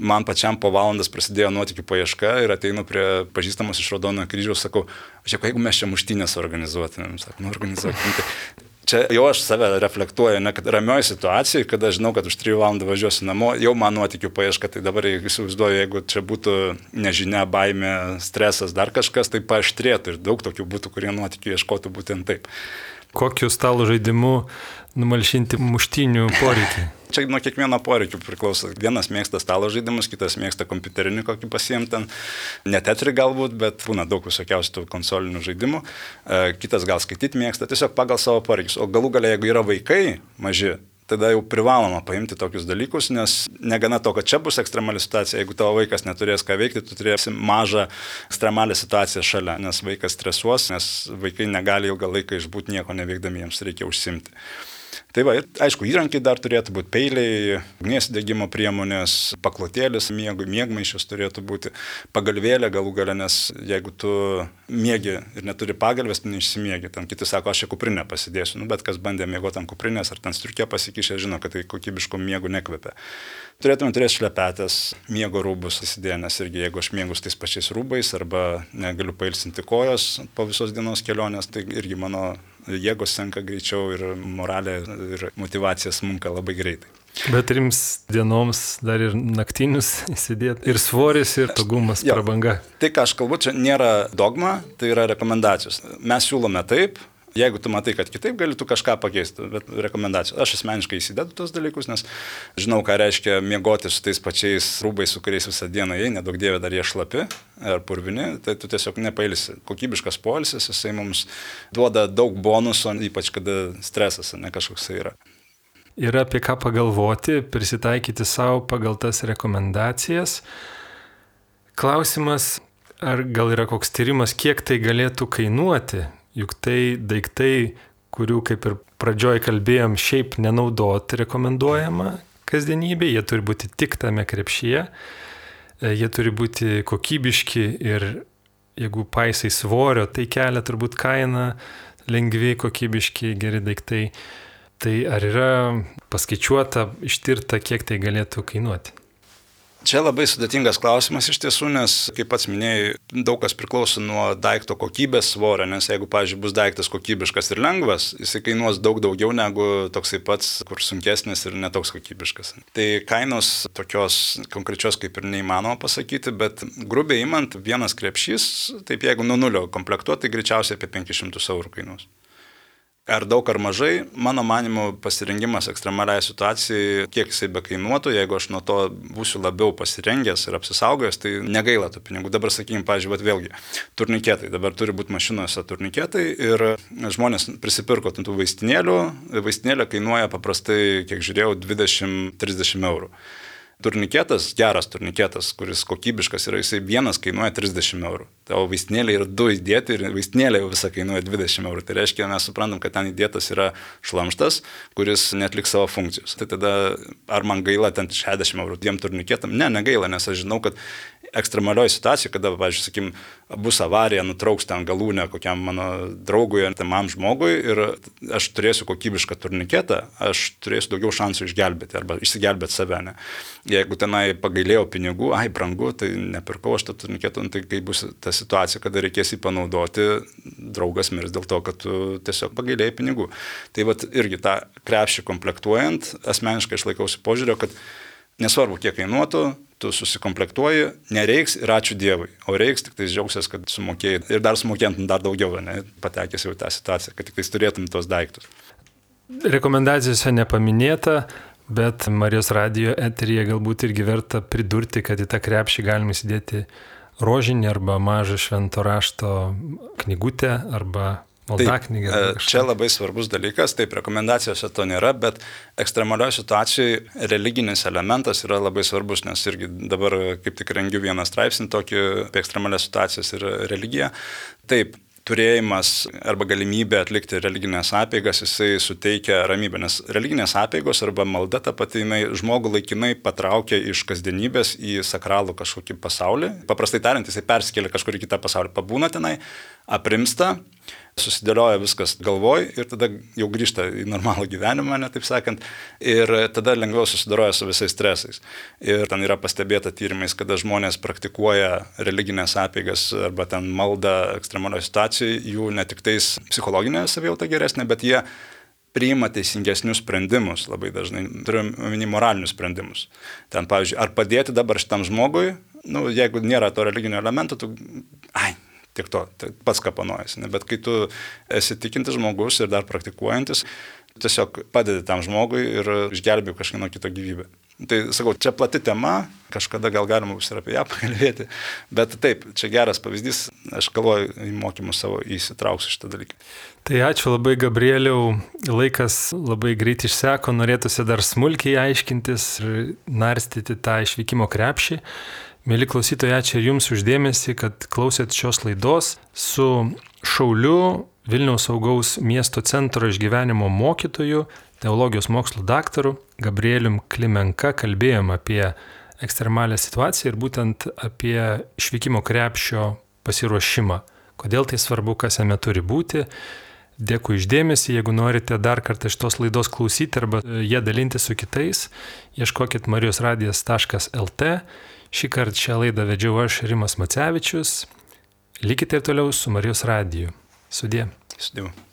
man pačiam po valandas prasidėjo nuotykių paieška ir ateinu prie pažįstamos iš Raudonojo kryžiaus, sakau, žiūrėk, jeigu mes čia muštynės organizuotumėm, sakau, nu organizuokim. Čia jau aš save reflektuoju, ne, kad ramioje situacijoje, kada žinau, kad už trijų valandų važiuosiu namo, jau man nuotykių paieška, tai dabar įsivaizduoju, jeigu čia būtų nežinia, baimė, stresas, dar kažkas, tai paaštrėtų ir daug tokių būtų, kurie nuotykių ieškotų būtent taip. Kokiu stalo žaidimu numalšinti muštynių poreikį? Čia nuo kiekvieno poreikių priklauso. Vienas mėgsta stalo žaidimus, kitas mėgsta kompiuterinį kokį pasiimti ten. Ne Tetri galbūt, bet būna daug visokiausių tų konsolinių žaidimų. Kitas gal skaityti mėgsta, tiesiog pagal savo poreikius. O galų galia, jeigu yra vaikai maži, tada jau privaloma paimti tokius dalykus, nes negana to, kad čia bus ekstremali situacija, jeigu tavo vaikas neturės ką veikti, tu turėsi mažą ekstremalią situaciją šalia, nes vaikas stresuos, nes vaikai negali ilgą laiką išbūti nieko neveikdami, jiems reikia užsimti. Tai va, ir aišku, įrankiai dar turėtų būti peiliai, ugnies degimo priemonės, paklotėlis miegui, miegmaišis turėtų būti, pagalvėlė galų gale, nes jeigu tu miegi ir neturi pagalvės, tu neišsimiegi. Ten kiti sako, aš čia kuprinę pasidėsiu, nu, bet kas bandė miegoti ant kuprinės ar ten striukė pasikišę, žino, kad tai kokybiško miegų nekvepia. Turėtume turėti šlepetės, miego rūbus įsidėję, nes irgi jeigu aš miegu tais pačiais rūbais arba negaliu pailsinti kojos po visos dienos kelionės, tai irgi mano jėgos senka greičiau ir moralė ir motyvacija smunka labai greitai. Bet trims dienoms dar ir naktinius įsidėti, ir svoris, ir togumas, jo, prabanga. Tai, ką aš kalbu, čia nėra dogma, tai yra rekomendacijos. Mes siūlome taip. Jeigu tu matai, kad kitaip gali tu kažką pakeisti, bet rekomendacijos. Aš asmeniškai įsidedu tos dalykus, nes žinau, ką reiškia miegoti su tais pačiais rūbais, su kuriais visą dieną jei, nedaug dievė dar jie šlapi ar purvini, tai tu tiesiog nepailsi. Kokybiškas poilsis, jisai mums duoda daug bonuso, ypač kada stresas, ne kažkoks yra. Yra apie ką pagalvoti, prisitaikyti savo pagal tas rekomendacijas. Klausimas, ar gal yra koks tyrimas, kiek tai galėtų kainuoti? Juk tai daiktai, kurių, kaip ir pradžioj kalbėjom, šiaip nenaudoti rekomenduojama kasdienybė, jie turi būti tik tame krepšyje, jie turi būti kokybiški ir jeigu paisai svorio, tai kelia turbūt kainą, lengvi, kokybiški, geri daiktai. Tai ar yra paskaičiuota, ištirta, kiek tai galėtų kainuoti? Čia labai sudėtingas klausimas iš tiesų, nes, kaip pats minėjai, daug kas priklauso nuo daikto kokybės, svorio, nes jeigu, pavyzdžiui, bus daiktas kokybiškas ir lengvas, jisai kainuos daug daugiau negu toksai pats, kur sunkesnis ir netoks kokybiškas. Tai kainos tokios konkrečios kaip ir neįmanoma pasakyti, bet grubiai imant, vienas krepšys, taip jeigu nuo nulio komplektuoti, tai greičiausiai apie penkis šimtus eurų kainuos. Ar daug ar mažai, mano manimu, pasirengimas ekstremaliai situacijai, kiek jisai bekainuotų, jeigu aš nuo to būsiu labiau pasirengęs ir apsisaugojęs, tai negaila tų pinigų. Dabar, sakykime, pavyzdžiui, vėlgi, turniketai, dabar turi būti mašinose turniketai ir žmonės prisipirko tų vaistinėlių, vaistinėlė kainuoja paprastai, kiek žiūrėjau, dvidešimt trisdešimt eurų. Turniketas, geras turniketas, kuris kokybiškas yra, jisai vienas kainuoja trisdešimt eurų. O vaistinėlė yra du įdėti ir vaistinėlė jau visą kainuoja dvidešimt eurų. Tai reiškia, mes suprantam, kad ten įdėtas yra šlamštas, kuris netliks savo funkcijos. Tai tada ar man gaila ten šešiasdešimt eurų dviem turniketam? Ne, negaila, nes aš žinau, kad ekstremalioje situacijoje, kada, pavyzdžiui, sakykim, bus avarija, nutrauks ten galūnę kokiam mano draugui ar tamam žmogui ir aš turėsiu kokybišką turniketą, aš turėsiu daugiau šansų išgelbėti arba išsigelbėti save. Ne? Jeigu tenai pagailėjau pinigų, ai, brangu, tai nepirkau aš tą turniketą, tai kai bus ta situacija, kada reikės jį panaudoti, draugas mirs dėl to, kad tu tiesiog pagailėjai pinigų. Tai vat irgi tą krepšį komplektuojant, asmeniškai aš laikausi požiūrio, kad nesvarbu, kiek kainuotų, tu susikomplektuoji, nereiks ir ačiū Dievui, o reiks tik tai džiaugsies, kad sumokėjai ir dar sumokėtum dar daugiau, ne, patekęs jau į tą situaciją, kad tik tai turėtum tos daiktus. Rekomendacijose nepaminėta, bet Marijos radijo eteryje galbūt irgi verta pridurti, kad į tą krepšį galima įsidėti rožinį arba mažą švento rašto knygutę arba maldaknygę. Tai, čia labai svarbus dalykas, taip, rekomendacijose to nėra, bet ekstremalioje situacijoje religinis elementas yra labai svarbus, nes irgi dabar kaip tik rengiu vieną straipsnį tokį apie ekstremalias situacijas ir religiją. Taip, turėjimas arba galimybė atlikti religinės apeigas, jisai suteikia ramybę, nes religinės apeigos arba malda ta pati, jinai žmogų laikinai patraukia iš kasdienybės į sakralų kažkokį pasaulį. Paprastai tariant, jisai persikelia kažkur į kitą pasaulį, pabūna tenai, aprimsta, susidėlioja viskas galvoj ir tada jau grįžta į normalų gyvenimą, ne taip sakant, ir tada lengviau susidoroja su visais stresais. Ir ten yra pastebėta tyrimais, kada žmonės praktikuoja religinės apeigas arba ten maldą ekstremalioje situacijoje, jų ne tik tais psichologinė savijauta geresnė, bet jie priima teisingesnius sprendimus labai dažnai, turim omeny moralinius sprendimus. Ten, pavyzdžiui, ar padėti dabar šitam žmogui, nu, jeigu nėra to religinio elemento, tu, ai, tiek to, tai pats kapanojasi. Bet kai tu esi tikintis žmogus ir dar praktikuojantis, tiesiog padedi tam žmogui ir išgelbėjai kažkieno kito gyvybę. Tai sakau, čia plati tema, kažkada gal galima bus ir apie ją pakalbėti, bet taip, čia geras pavyzdys, aš galvoju, į mokymus savo įsitrauksiu šitą dalyką. Tai ačiū labai, Gabrieliau, laikas labai greit išseko, norėtųsi dar smulkiai aiškintis ir narstyti tą išvykimo krepšį. Mėly klausytojai, ačiū ir jums uždėmesį, kad klausėt šios laidos su šauliu, Vilniaus saugaus miesto centro išgyvenimo mokytoju, teologijos mokslų daktaru Gabrielium Klimenka kalbėjom apie ekstremalią situaciją ir būtent apie išvykimo krepšio pasiruošimą. Kodėl tai svarbu, kas jame turi būti. Dėkui išdėmesį, jeigu norite dar kartą šitos laidos klausyti arba ją dalinti su kitais, ieškokit marijosradijas taškas lt. Šį kartą šią laidą vedžiau aš, Rimas Macevičius. Likite ir toliau su Marijos radiju. Sudie. Sudie.